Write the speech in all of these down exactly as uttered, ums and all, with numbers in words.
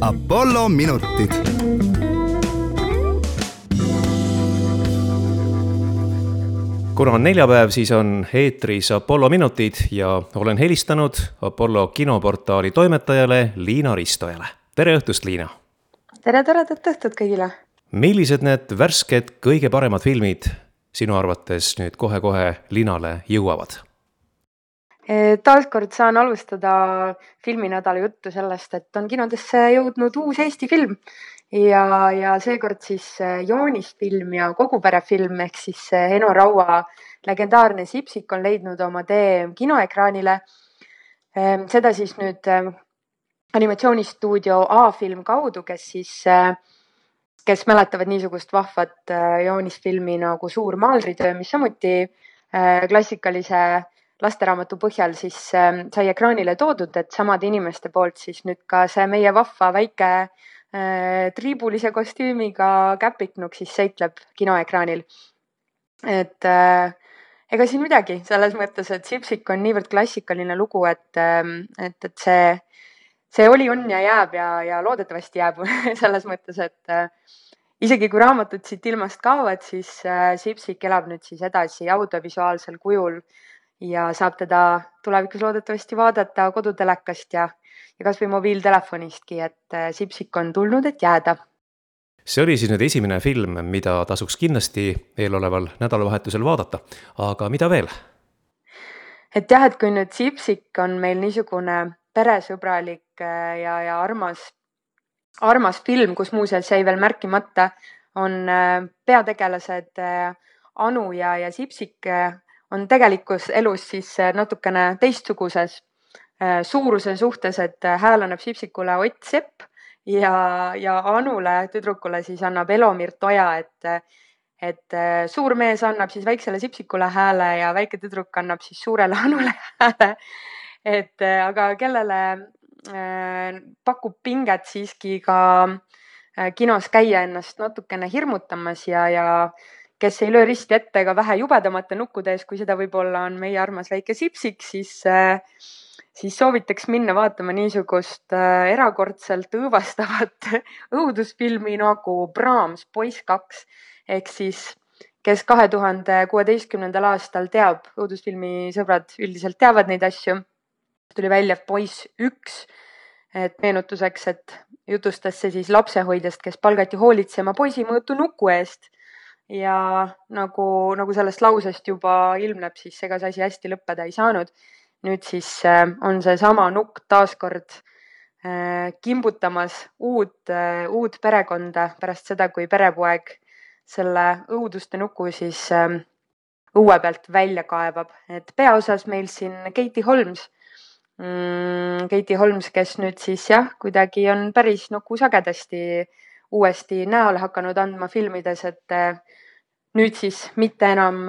Apollo minutid. Kuna on neljapäev, siis on eetris Apollo minutid ja olen helistanud Apollo kinoportaali toimetajale Liina Ristojale. Tere õhtust, Liina! Tere toredat õhtut kõigile! Millised need värsked kõige paremad filmid sinu arvates nüüd kohe-kohe linale jõuavad? Taaskord saan alustada filminädala juttu sellest, et on kinodesse jõudnud uus Eesti film ja, ja seekord siis joonisfilm ja koguperefilm ehk siis Eno Raua legendaarne Sipsik on leidnud oma tee kinoekraanile. Seda siis nüüd animatsioonistuudio A-film kaudu, kes siis, kes mäletavad niisugust vahvat joonisfilmi nagu Suur maalritöö, mis samuti klassikalise lasteraamatu põhjal siis sai ekraanile toodud, et samad inimeste poolt siis nüüd ka see meie vahva väike triibulise kostüümiga käpiknuk siis seikleb kinoekraanil. Et ega siin midagi selles mõttes, et Sipsik on niivõrd klassikaline lugu, et, et, et see, see oli, on ja jääb ja, ja loodetavasti jääb selles mõttes, et isegi kui raamatud siit ilmast kaovad, siis Sipsik elab nüüd siis edasi audiovisuaalsel kujul ja saab teda tulevikus loodetavasti vaadata kodutelekast ja, ja kas või mobiiltelefonistki, et Sipsik on tulnud, et jääda. See oli siis nüüd esimene film, mida tasuks kindlasti eeloleval nädalavahetusel vaadata. Aga mida veel? Et jah, et kui nüüd Sipsik on meil niisugune peresõbralik ja, ja armas, armas film, kus muuseas jäi veel märkimata, on peategelased Anu ja, ja Sipsik on tegelikus elus siis natukene teistsuguses suuruse suhtes, et hääl annab Sipsikule Ott Sepp ja, ja Anule, tüdrukule siis annab Elomir Toja, et, et suur mees annab siis väiksele Sipsikule hääle ja väike tüdruk annab siis suurele Anule hääle. Et aga kellele pakub pinget siiski ka kinos käia ennast natukene hirmutamas ja, ja kes ei löö risti ette ega vähe jubedamate nukkude ees, kui seda võib-olla on meie armas väike Sipsik, siis, siis soovitaks minna vaatama niisugust erakordselt õõvastavat õudusfilmi nagu Brahms Poiss kaks. Ehk siis, kes kahe tuhande kuueteistkümnendal aastal teab, õudusfilmi sõbrad üldiselt teavad neid asju, tuli välja Poiss üks, et meenutuseks, et jutustas see siis lapsehoidjast, kes palgati hoolitsema poisi mõõtu nuku eest. Ja nagu, nagu sellest lausest juba ilmneb, siis ega see asi hästi lõppeda ei saanud. Nüüd siis on see sama nukk taaskord kimbutamas uut, uut perekonda pärast seda, kui perepoeg selle õuduste nuku siis õue pealt välja kaevab. Et peaosas meil siin Katie Holmes, mm, Katie Holmes, kes nüüd siis jah, kuidagi on päris nuku sagedasti uuesti näole hakanud andma filmides, et nüüd siis mitte enam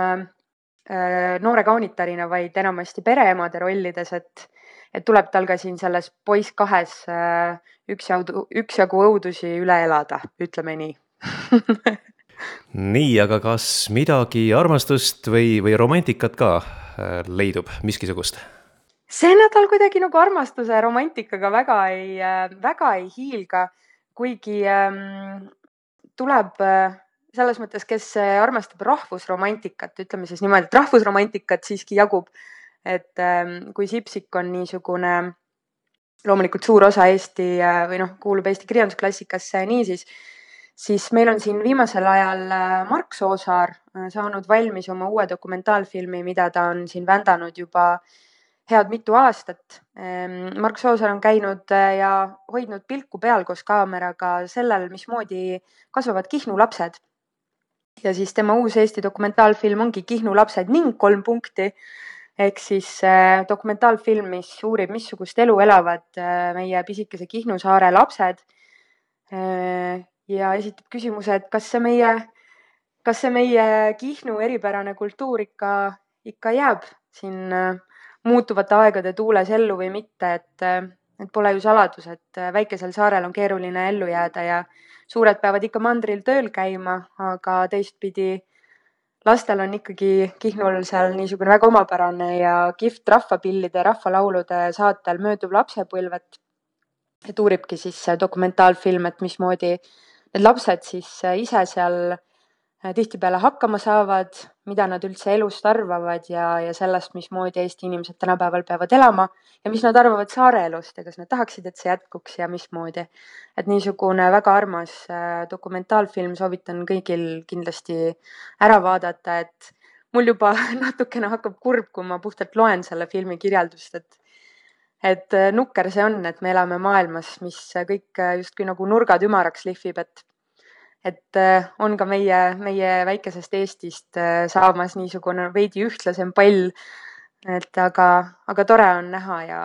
noore kaunitarina, vaid enamasti pereemade rollides, et, et tuleb tal ka siin selles Poiss kahes üksjagu, üksjagu õudusi üle elada, ütleme nii. Nii, aga kas midagi armastust või, või romantikat ka leidub miskisugust? See nädal kuidagi nagu armastuse romantikaga väga ei, väga ei hiilga, kuigi ähm, tuleb selles mõttes, kes armastab rahvusromantikat, ütleme siis niimoodi, et rahvusromantikat siiski jagub, et ähm, kui Sipsik on niisugune loomulikult suur osa Eesti või noh, kuulub Eesti kirjandusklassikasse niisiis, siis meil on siin viimasel ajal Mark Soosaar saanud valmis oma uue dokumentaalfilmi, mida ta on siin vändanud juba head mitu aastat. Mark Soosaar on käinud ja hoidnud pilku peal koos kaameraga sellel, mismoodi kasvavad Kihnu lapsed. Ja siis tema uus Eesti dokumentaalfilm ongi Kihnu lapsed ning kolm punkti. Ehk siis dokumentaalfilm, mis uurib, missugust elu elavad meie pisikese Kihnu saare lapsed ja esitab küsimuse, et kas see meie, kas see meie Kihnu eripärane kultuur ikka, ikka jääb siin muutuvate aegade tuules ellu või mitte, et, et pole ju saladus, et väikesel saarel on keeruline ellu jääda ja suured peavad ikka mandril tööl käima, aga teistpidi lastel on ikkagi Kihnul seal niisugune väga omapärane ja kihvt rahvapillide ja rahvalaulude saatel mööduv lapsepõlvet. et uuribki siis dokumentaalfilm, et mismoodi need lapsed siis ise seal tihtipeale hakkama saavad, mida nad üldse elust arvavad ja, ja sellest, mismoodi Eesti inimesed tänapäeval peavad elama ja mis nad arvavad saare elust ja kas nad tahaksid, et see jätkuks ja mismoodi. Et niisugune väga armas dokumentaalfilm, soovitan kõigil kindlasti ära vaadata, et mul juba natukene hakkab kurb, kui ma puhtalt loen selle filmi kirjeldust, et et nukker see on, et me elame maailmas, mis kõik justkui nagu nurgad ümaraks lihvib, et et on ka meie, meie väikesest Eestist saamas niisugune veidi ühtlasem pall, et aga, aga tore on näha ja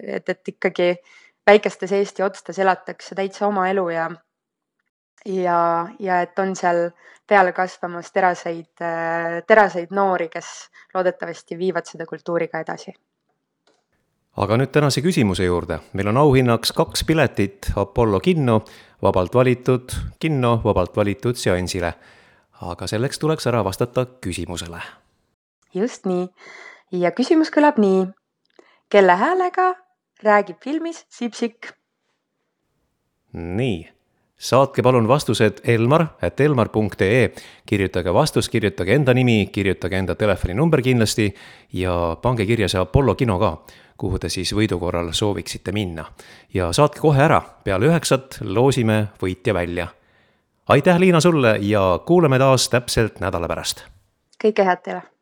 et, et ikkagi väikestes Eesti otstes elatakse täitsa oma elu ja, ja, ja et on seal peale kasvamas teraseid, teraseid noori, kes loodetavasti viivad seda kultuuriga edasi. Aga nüüd tänase küsimuse juurde. Meil on auhinnaks kaks piletit Apollo kinno, vabalt valitud kinno, vabalt valitud seansile. Aga selleks tuleks ära vastata küsimusele. Just nii. Ja küsimus kõlab nii. Kelle häälega räägib filmis Sipsik? Nii. Saatke palun vastused elmar at elmar punkt ee. Kirjutage vastus, kirjutage enda nimi, kirjutage enda telefoninumber kindlasti ja pange kirja see Apollo kino ka, kuhu te siis võidu korral sooviksite minna. Ja saatke kohe ära, peale üheksat loosime võitja välja. Aitäh, Liina, sulle ja kuuleme taas täpselt nädala pärast. Kõike head teile!